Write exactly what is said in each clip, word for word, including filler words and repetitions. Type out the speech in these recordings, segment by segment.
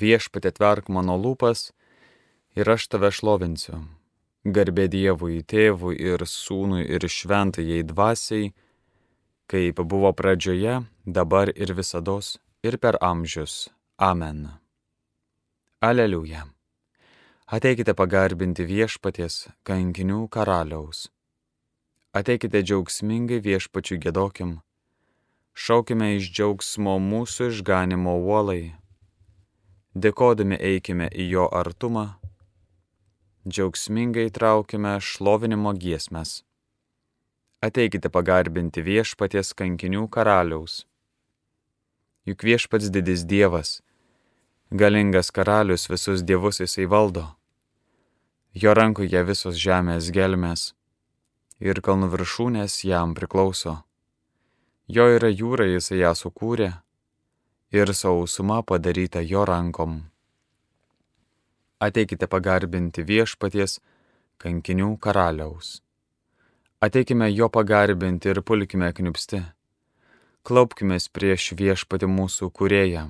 Viešpatie, atverk mano lūpas ir aš tave šlovinsiu. Garbė Dievui, Tėvui ir Sūnui ir Šventajai Dvasiai, kaip buvo pradžioje, dabar ir visados, ir per amžius. Amen. Aleliuja. Ateikite pagarbinti Viešpaties, kankinių karaliaus. Ateikite džiaugsmingai Viešpačiui giedokim. Šaukime iš džiaugsmo mūsų išganimo uolai. Dėkodami eikime į jo artumą. Džiaugsmingai traukime šlovinimo giesmes. Ateikite pagarbinti Viešpaties kankinių karaliaus. Juk Viešpats didis Dievas, galingas karalius, visus dievus jisai valdo. Jo rankoje visos žemės gelmės ir kalnų viršūnės jam priklauso. Jo yra jūra, jisai ją sukūrė ir sausuma padaryta jo rankom. Ateikite pagarbinti Viešpaties kankinių karaliaus. Ateikime jo pagarbinti ir pulkime kniupsti. Klaupkimės prieš Viešpatį mūsų kūrėją.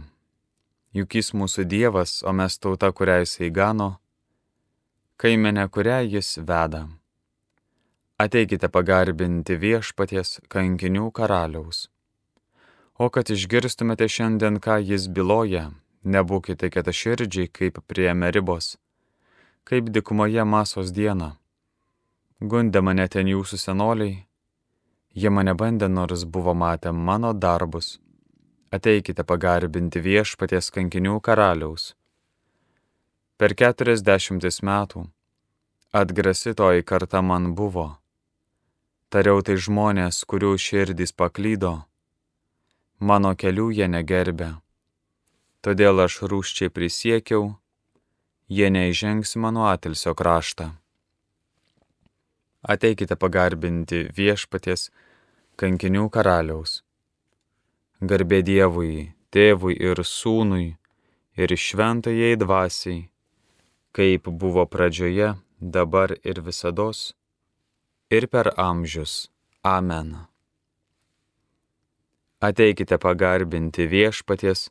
Juk jis mūsų Dievas, o mes tauta, kurią jisai gano, kaimenė, kurią jis veda. Ateikite pagarbinti Viešpaties kankinių karaliaus. O kad išgirstumėte šiandien, ką jis byloja, nebūkite kietaširdžiai kaip prie Meribos, kaip dykumoje Masos dieną. Gundė mane ten jūsų senoliai, jie mane bandė, nors buvo matę mano darbus. Ateikite pagarbinti Viešpaties kankinių karaliaus. Per keturiasdešimtis metų atgrasi toji karta man buvo. Tariau tai žmonės, kurių širdys paklydo, mano kelių jie negerbė. Todėl aš rūsčiai prisiekiau, jie neįžengs mano atilsio kraštą. Ateikite pagarbinti Viešpaties kankinių karaliaus. Garbė Dievui, Tėvui ir Sūnui ir Šventajai Dvasiai, kaip buvo pradžioje, dabar ir visados, ir per amžius. Amen. Ateikite pagarbinti Viešpaties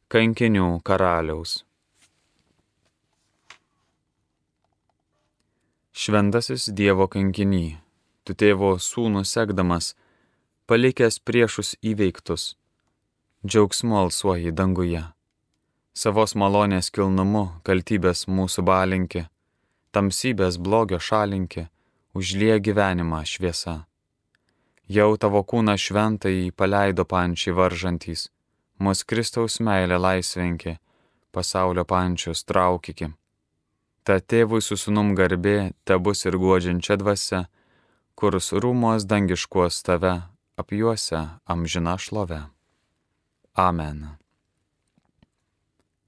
kankinių karaliaus. Šventasis Dievo kankiny, tu Tėvo Sūnų sekdamas, palikęs priešus įveiktus, džiaugsmu alsuoji danguje. Savos malonės kilnumu kaltybės mūsų balinki, tamsybės blogio šalinki, užlie gyvenimą šviesa. Jau tavo kūną šventąjį paleido pančiai varžantys, mus Kristaus meilė laisvenki, pasaulio pančius traukiki. Ta Tėvui su Sūnum garbė tebus ir guodžiančia dvasia, kurs rūmos dangiškuos tave apjuose amžina šlove. Amen.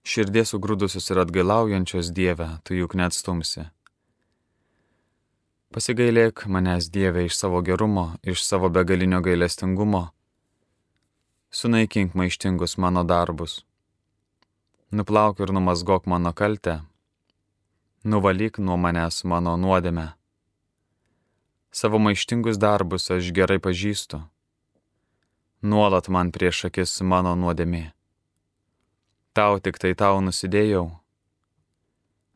Širdies sugrūdusius ir atgailaujančios Dieve, tu juk neatstumsi. Pasigailėk manęs, Dieve, iš savo gerumo, iš savo begalinio gailestingumo. Sunaikink maištingus mano darbus. Nuplauk ir numazgok mano kaltę. Nuvalyk nuo manęs mano nuodėmę. Savo maištingus darbus aš gerai pažįstu. Nuolat man prieš akis mano nuodėmė. Tau tik tai tau nusidėjau.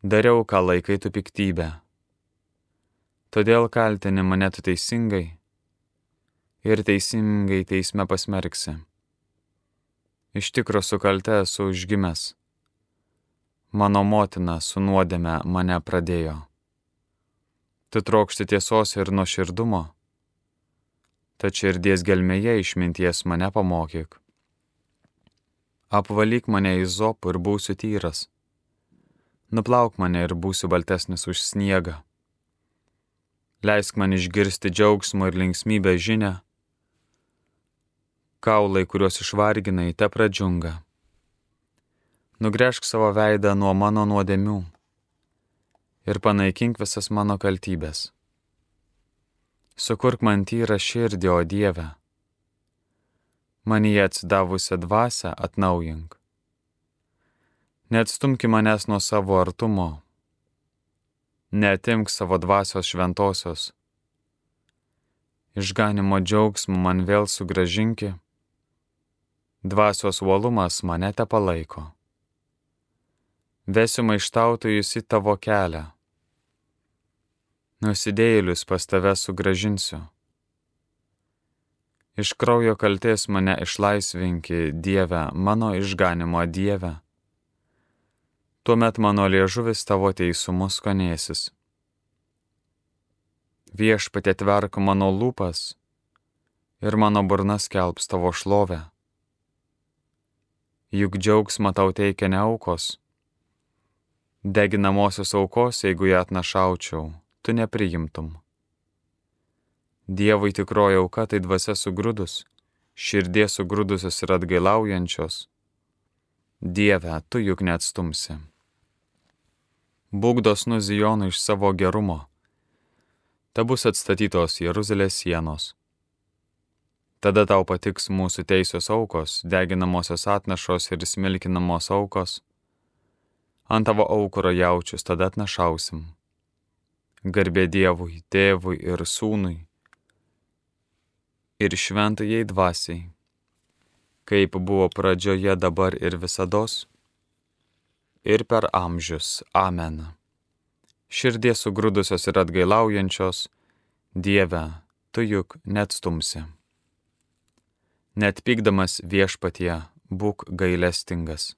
Dariau, ką laikai tu piktybę. Todėl kaltini mane tu teisingai ir teisingai teisme pasmerksi. Iš tikro su kalte esu užgimęs. Mano motina su nuodėme mane pradėjo. Tu trokšti tiesos ir nuoširdumo, tad širdies gelmėje išminties mane pamokyk. Apvalyk mane izopu ir būsiu tyras. Nuplauk mane ir būsiu baltesnis už sniegą. Leisk man išgirsti džiaugsmo ir linksmybę žinią. Kaulai, kuriuos išvarginai, te pradžiunga. Nugręžk savo veidą nuo mano nuodėmių ir panaikink visas mano kaltybės. Sukurk man tyrą širdį, o Dieve. Manyje atsidavusią dvasią atnaujink. Neatstumki manęs nuo savo artumo. Neatimk savo dvasios šventosios. Išganimo džiaugsmų man vėl sugrąžinki. Dvasios uolumas mane te palaiko. Vesiu maištautojus į tavo kelią. Nusidėjėlius pas tave sugrąžinsiu. Iš kraujo kaltės mane išlaisvinki, Dieve, mano išganimo Dieve. Tuomet mano liežuvis tavo teisumus skonėsis. Viešpatie, atverk mano lūpas ir mano burna skelbs tavo šlovę. Juk džiaugsmą tau teikia ne aukos. Deginamosios aukos, jeigu ją atnašaučiau, tu nepriimtum. Dievui tikroji auka tai dvasia sugrūdus, širdies sugrūdusios ir atgailaujančios. Dieve, tu juk neatstumsi. Būk dosnus Zijonui iš savo gerumo. Ta bus atstatytos Jeruzalės sienos. Tada tau patiks mūsų teisios aukos, deginamosios atnašos ir smilkinamos aukos. Ant tavo aukuro jaučius tada atnašausim. Garbė Dievui, Tėvui ir Sūnui ir šventajai dvasiai, kaip buvo pradžioje, dabar ir visados, ir per amžius. Amen. Širdies sugrūdusios ir atgailaujančios, Dieve, tu juk neatstumsi. Net pykdamas Viešpatie, būk gailestingas.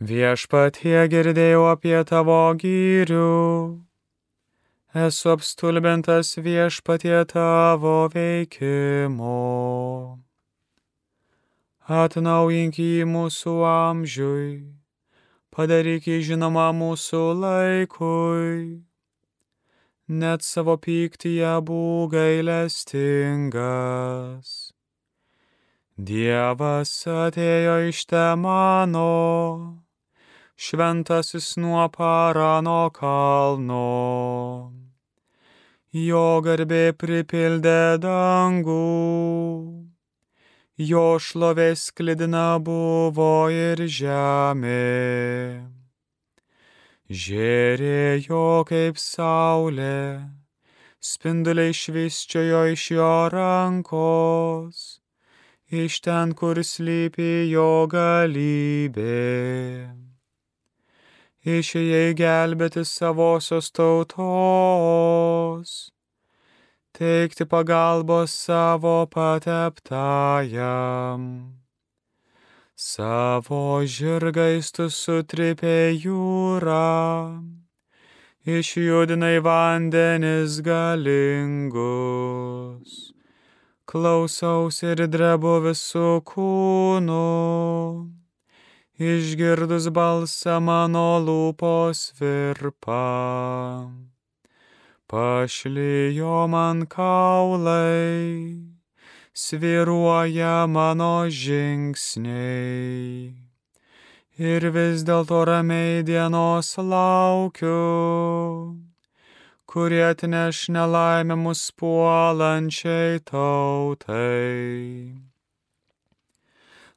Viešpatie, girdėjau apie tavo gyrių. Esu apstulbintas, Viešpatie, tavo veikimo. Atnaujink jį mūsų amžiui, padaryk jį žinomą mūsų laikui. Net savo pyktyje būk gailestingas. Dievas atėjo iš Temano, šventasis nuo Parano kalno. Jo garbė pripildė dangų, jo šlovė sklidina buvo ir žemė. Žėrėjo kaip saulė, spinduliai švysčiojo iš jo rankos, iš ten, kur slypi jo galybė. Išėjai gelbėti savosios tautos, teikti pagalbos savo pateptajam. Savo žirgais tu sutripė jūrą, išjudinai vandenis galingus. Klausaus ir drebu visų kūnų, išgirdus balsą mano lūpos virpa. Pašlijo man kaulai, svyruoja mano žingsniai. Ir vis dėlto ramiai dienos laukiu, kurie atneš nelaimę mus puolančiai tautai.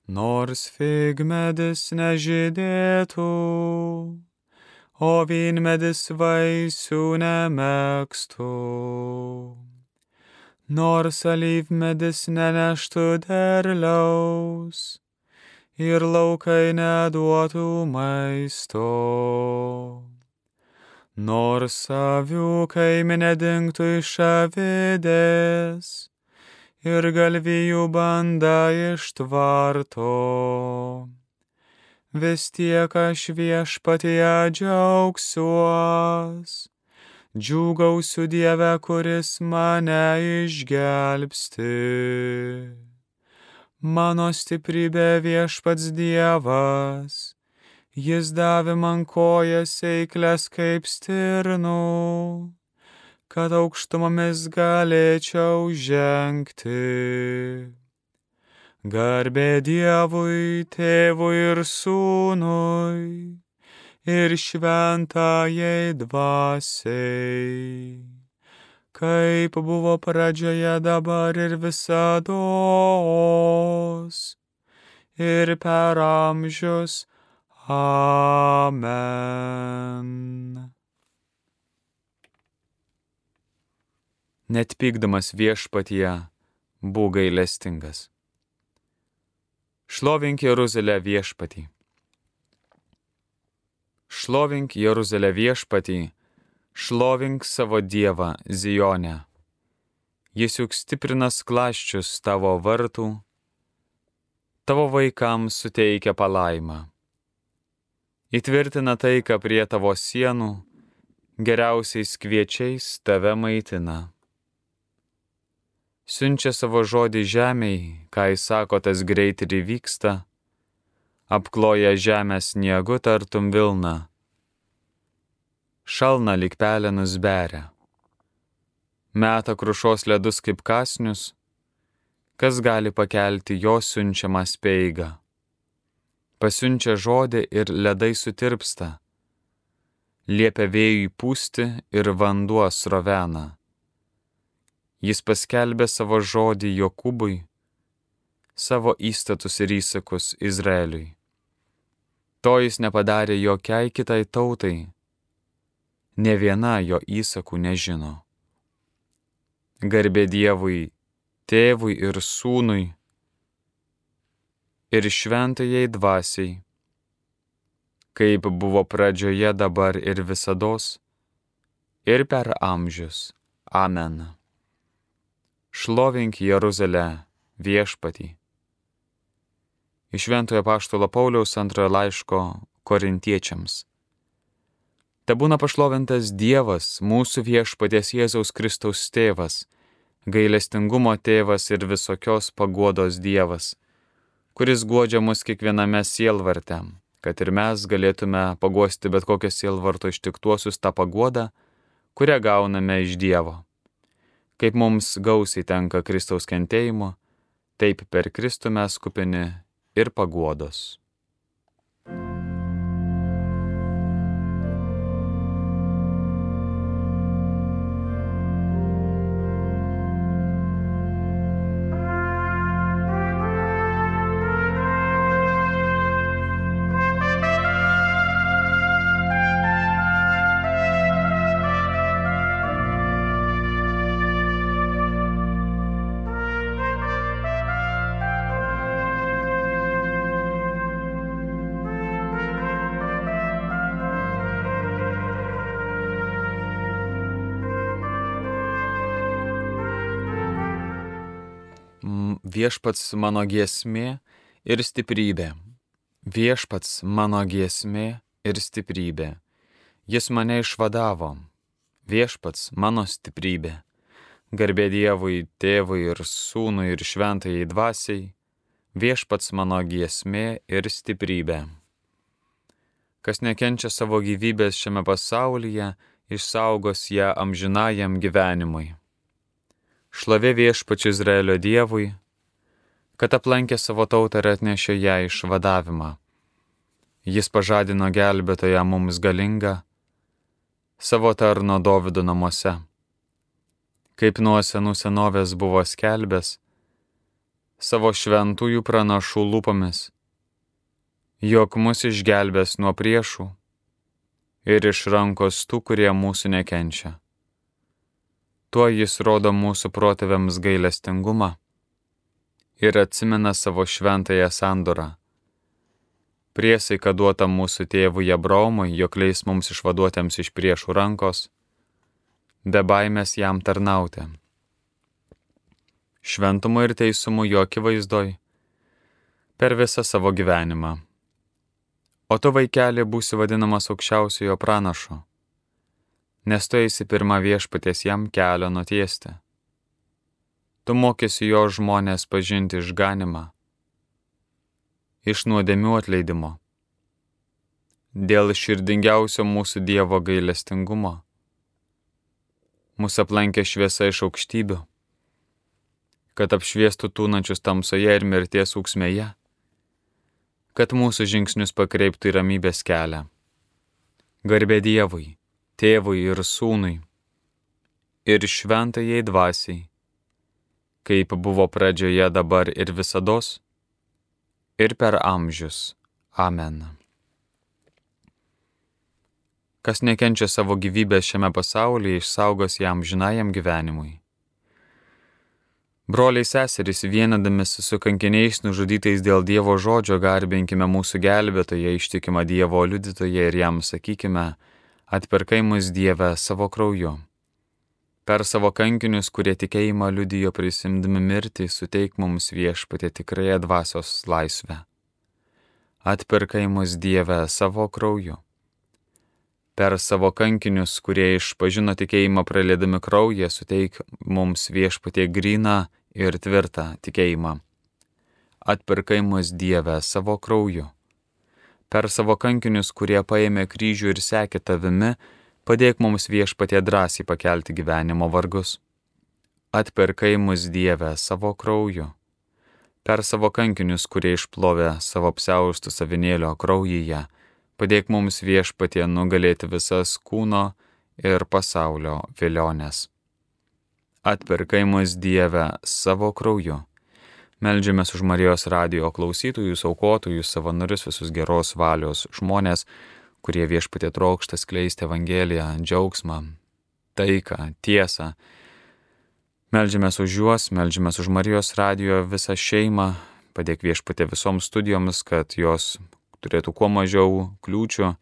Nors figmedis nežydėtų, o vynmedis vaisių nemėgstų. Nors alyvmedis neneštų derliaus ir laukai neduotų maisto. Nors avių kaimenė dingtų iš avidės ir galvijų banda iš tvarto. Vis tiek aš Viešpatyje džiaugsiuos, džiūgausiu Dieve, kuris mane išgelbsti. Mano stiprybė Viešpats Dievas, jis davė man kojas eiklias kaip stirnų, kad aukštumomis galėčiau žengti. Garbė Dievui, Tėvui ir Sūnui ir šventajai dvasiai, kaip buvo pradžioje, dabar ir visados, ir per amžius. Amen. Net pykdamas Viešpatyje, būk gailestingas. Šlovink Jeruzalę viešpatį. Šlovink Jeruzalę viešpatį, šlovink savo Dievą Zione. Jis juk stiprina skląsčius tavo vartų, tavo vaikams suteikia palaimą. Įtvirtina taiką prie tavo sienų, geriausiais kviečiais tave maitina. Siunčia savo žodį žemei, ką jis sako, tas greit ir įvyksta, apkloja žemę sniegu tartum vilna, šalna lyg pelenus beria, meta krušos ledus kaip kąsnius, kas gali pakelti jo siunčiamą speigą. Pasiunčia žodį ir ledai sutirpsta, liepia vėjui pūsti ir vanduo srovena. Jis paskelbė savo žodį Jokūbui, savo įstatus ir įsakus Izraeliui. To jis nepadarė jokiai kitai tautai, ne viena jo įsakų nežino. Garbė Dievui, Tėvui ir Sūnui, ir šventajai dvasiai, kaip buvo pradžioje, dabar ir visados, ir per amžius. Amen. Šlovink Jeruzalę viešpatį. Iš Šventojo apaštalo Pauliaus antrojo laiško Korintiečiams. Tebūna pašlovintas Dievas, mūsų viešpaties Jėzaus Kristaus tėvas, gailestingumo tėvas ir visokios paguodos Dievas, kuris guodžia mus kiekviename sielvarte, kad ir mes galėtume paguosti bet kokią sielvarto ištiktuosius tą paguodą, kurią gauname iš Dievo. Kaip mums gausiai tenka Kristaus kentėjimo, taip per Kristų mes kupini ir paguodos. Viešpats mano giesmė ir stiprybė. Viešpats mano giesmė ir stiprybė. Jis mane išvadavo. Viešpats mano stiprybė. Garbė Dievui, Tėvui ir Sūnui ir šventajai dvasiai. Viešpats mano giesmė ir stiprybė. Kas nekenčia savo gyvybės šiame pasaulyje, išsaugos ją amžinajam gyvenimui. Šlovė Viešpačiui Izraelio Dievui, kad aplankė savo tautą ir atnešė ją išvadavimą. Jis pažadino gelbėtoją mums galingą, savo tarno Dovydo namuose. Kaip nuo senų senovės buvo skelbęs, savo šventųjų pranašų lūpomis, jog mus išgelbės nuo priešų ir iš rankos tų, kurie mūsų nekenčia. Tuo jis rodo mūsų protėviams gailestingumą ir atsimena savo šventąją sandorą. Priesaiką duotą mūsų tėvui Abraomui, jog leis mums išvaduotiems iš priešų rankos, be baimės jam tarnauti. Šventumu ir teisumu jo akivaizdoj per visą savo gyvenimą. O tu, vaikeli, būsi vadinamas aukščiausiojo pranašu, nes tu eisi pirmą viešpaties jam kelio nutiesti. Tu mokysi jo žmonės pažinti išganimą, iš nuodėmių atleidimo, dėl širdingiausio mūsų Dievo gailestingumo. Mūsų aplankė šviesa iš aukštybių, kad apšviestų tūnančius tamsoje ir mirties ūksmėje, kad mūsų žingsnius pakreiptų į ramybės kelią. Garbė Dievui, Tėvui ir Sūnui, ir šventajai dvasiai, kaip buvo pradžioje, dabar ir visados, ir per amžius. Amen. Kas nekenčia savo gyvybės šiame pasaulyje, išsaugos jam amžinajam gyvenimui. Broliai seserys, vienadamis su kankiniais nužudytais dėl Dievo žodžio, garbinkime mūsų gelbėtoją, ištikimą Dievo liudytoją ir jam sakykime, atpirkai mus Dieve savo krauju. Per savo kankinius, kurie tikėjimą liudijo prisimdami mirtį, suteik mums Viešpatie tikrąją dvasios laisvę. Atpirkai mus Dieve savo krauju. Per savo kankinius, kurie išpažino tikėjimą praliedami kraują, suteik mums Viešpatie gryną ir tvirtą tikėjimą. Atpirkai mus Dieve savo krauju. Per savo kankinius, kurie paėmė kryžių ir sekė tavimi, padėk mums Viešpatie drąsiai pakelti gyvenimo vargus. Atpirkai mus Dieve savo krauju. Per savo kankinius, kurie išplovė savo apsiaustus avinėlio kraujyje, padėk mums Viešpatie nugalėti visas kūno ir pasaulio vilionės. Atpirkai mus Dieve savo krauju. Meldžiamės už Marijos radijo klausytojus, aukotojus, savanorius, visus geros valios žmonės, kurie Viešpatie trokšta skleisti Evangeliją, džiaugsmą, taiką, tiesą. Meldžiamės už juos, meldžiamės už Marijos radijo visą šeimą, padėk Viešpatie visoms studijoms, kad jos turėtų kuo mažiau kliūčių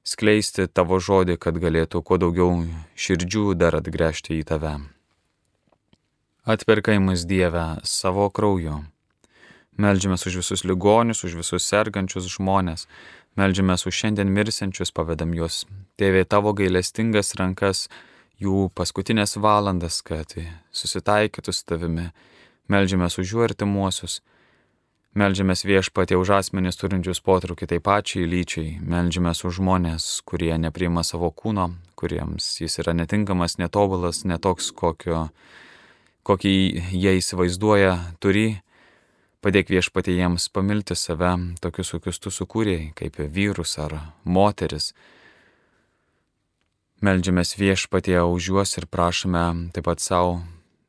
skleisti tavo žodį, kad galėtų kuo daugiau širdžių dar atgręžti į tave. Atpirkai mus Dieve savo krauju. Meldžiamės už visus ligonius, už visus sergančius žmonės. Meldžiamės už šiandien mirsiančius, pavedam juos, Tėve, tavo gailestingas rankas, jų paskutinės valandas, kad susitaikytų su tavimi. Meldžiamės už jų artimuosius. Meldžiamės Viešpatie už asmenis turinčius potraukį tai pačiai lyčiai. Meldžiamės už žmonės, kurie nepriima savo kūno, kuriems jis yra netinkamas, netobulas, netoks, kokio, kokį jie įsivaizduoja, turi. Padėk Viešpatie jiems pamilti save, tokius, kokius tu sukūrėjai, kaip vyrus ar moteris. Meldžiamės Viešpatie už juos ir prašome taip pat savo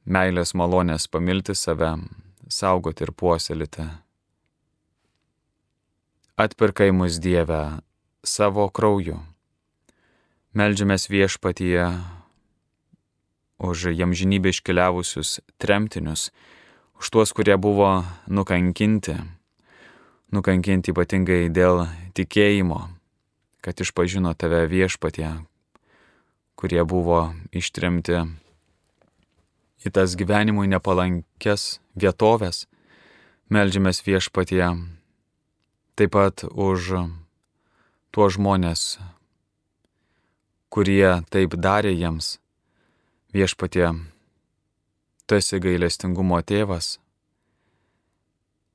meilės malonės pamilti save, saugoti ir puoselėti. Atpirkai mus Dieve savo krauju. Meldžiamės Viešpatie už amžinybę iškeliavusius tremtinius, už tuos, kurie buvo nukankinti, nukankinti ypatingai dėl tikėjimo, kad išpažino tave Viešpatie, kurie buvo ištremti į tas gyvenimui nepalankes vietovės. Meldžiamės Viešpatie taip pat už tuos žmonės, kurie taip darė jiems. Viešpatie, tu esi gailestingumo tėvas.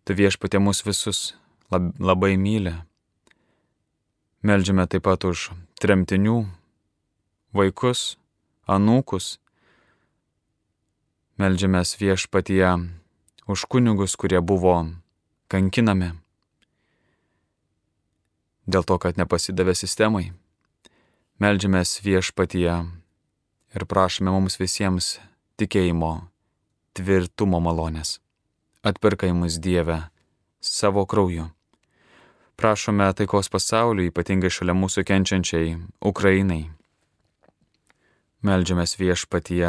Tu Viešpatie mus visus lab, labai myli. Meldžiame taip pat už tremtinių vaikus, anūkus. Meldžiamės Viešpatie už kunigus, kurie buvo kankinami dėl to, kad nepasidavė sistemai. Meldžiamės Viešpatie ir prašome mums visiems tikėjimo, tvirtumo malonės. Atpirkai mus Dieve savo krauju. Prašome taikos pasauliui, ypatingai šalia mūsų kenčiančiai Ukrainai. Meldžiamės Viešpatie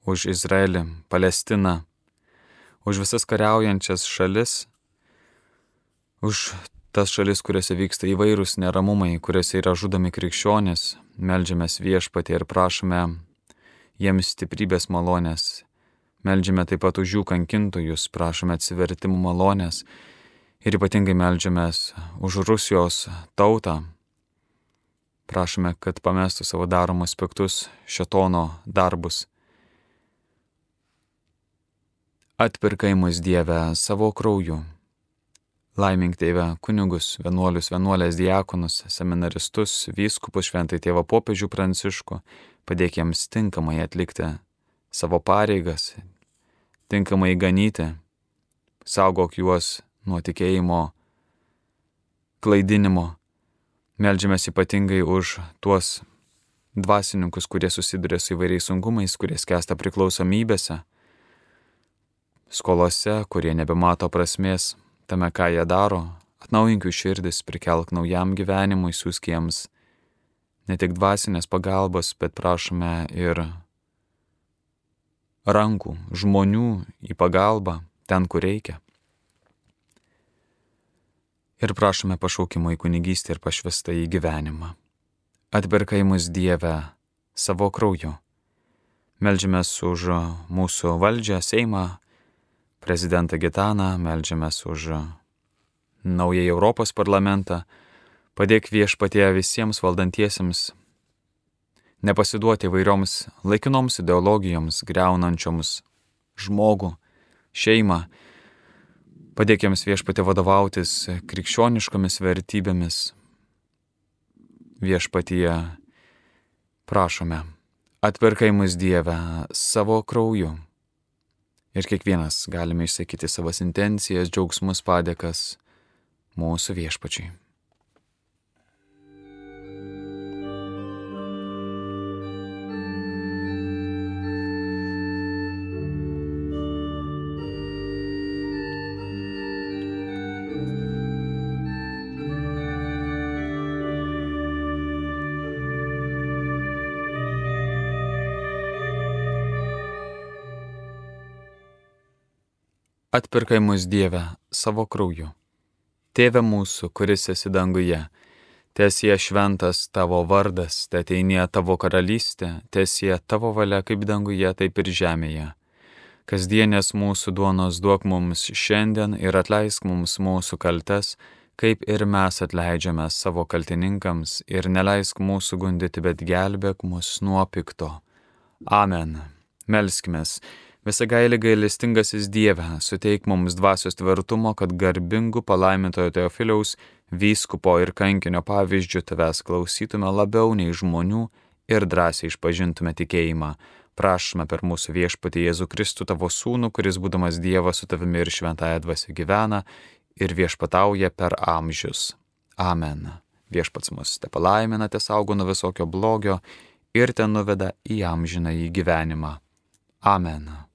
už Izraelį, Palestiną, už visas kariaujančias šalis, už tas šalis, kuriuose vyksta įvairūs neramumai, kuriuose yra žudomi krikščionys. Meldžiamės Viešpatie ir prašome jiems stiprybės malonės. Meldžiame taip pat už jų kankintojus, prašome atsivertimų malonės ir ypatingai meldžiamės už Rusijos tautą. Prašome, kad pamestų savo daromus piktus šėtono darbus. Atpirkai mus Dieve savo krauju. Laimink Tėve kunigus, vienuolius, vienuolės, diakonus, seminaristus, vyskupus, šventai Tėvą popiežių Pranciškų, padėk jiems tinkamai atlikti savo pareigas, tinkamai ganyti, saugok juos nuo tikėjimo klaidinimo. Meldžiamės ypatingai už tuos dvasininkus, kurie susiduria su įvairiais sunkumais, kurie skęsta priklausomybėse, skolose, kurie nebemato prasmės tame, ką jie daro. Atnaujink jų širdis, prikelk naujam gyvenimui, siųsk jiems ne tik dvasinės pagalbos, bet prašome ir rankų, žmonių į pagalbą ten, kur reikia. Ir prašome pašaukimo į kunigystę ir pašvestą į gyvenimą. Atpirkai mus Dieve savo krauju. Meldžiamės už mūsų valdžią, Seimą, prezidentą Gitaną, meldžiamės už naująjį Europos parlamentą. Padėk Viešpatie visiems valdantiesiems nepasiduoti įvairioms laikinoms ideologijoms, griaunančioms žmogų, šeimą. Padėk jiems Viešpatie vadovautis krikščioniškomis vertybėmis. Viešpatie, prašome, atpirkai mus Dieve savo krauju. Ir kiekvienas galime išsakyti savas intencijas, džiaugsmus, padėkas mūsų Viešpačiui. Atpirkai mus Dieve savo krauju. Tėve mūsų, kuris esi danguje, teesie šventas tavo vardas, teateinie tavo karalystė, teesie tavo valia kaip danguje, taip ir žemėje. Kasdienės mūsų duonos duok mums šiandien ir atleisk mums mūsų kaltes, kaip ir mes atleidžiame savo kaltininkams, ir neleisk mūsų gundyti, bet gelbėk mus nuo pikto. Amen. Melskimės. Visagaili gailestingasis Dieve, suteik mums dvasios tvirtumo, kad garbingų palaimintojo Teofiliaus, vyskupo ir kankinio pavyzdžių tavęs klausytume labiau nei žmonių ir drąsiai išpažintume tikėjimą. Prašome per mūsų Viešpatį Jėzų Kristų, tavo sūnų, kuris būdamas Dievas su tavimi ir šventąja dvasia gyvena ir viešpatauja per amžius. Amen. Viešpats mus te palaimina, te saugo nuo visokio blogio ir te nuveda į amžinąjį gyvenimą. Amen.